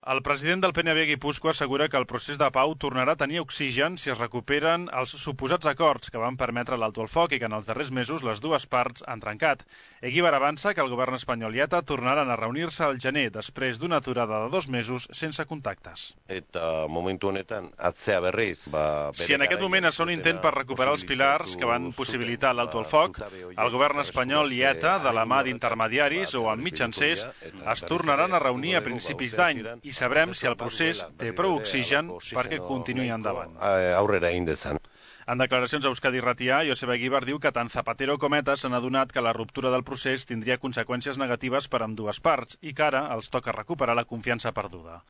El president del PNV Guipúscoa assegura que el procés de pau tornarà a tenir oxigen si es recuperen els suposats acords que van permetre l'alto el foc i que en els darrers mesos les dues parts han trencat. Eguíbar avança que el govern espanyol i ETA tornaran a reunir-se al gener després d'una aturada de 2 mesos sense contactes. Eta momentu honetan atzea berriz. Si en aquest moment es fa un intent per recuperar els pilars que van possibilitar l'alto el foc, el govern espanyol i ETA, de la mà d'intermediaris o amb mitjancers, es tornaran a reunir a principis d'any i sabrem si el procés té prou oxigen perquè continuï endavant. Aurrera egin dezan. En declaracions a Euskadi Irratia, Joseba Eguíbar diu que tant Zapatero com ETA s'han adonat que la ruptura del procés tindria conseqüències negatives per ambdues parts i que ara els toca recuperar la confiança perduda.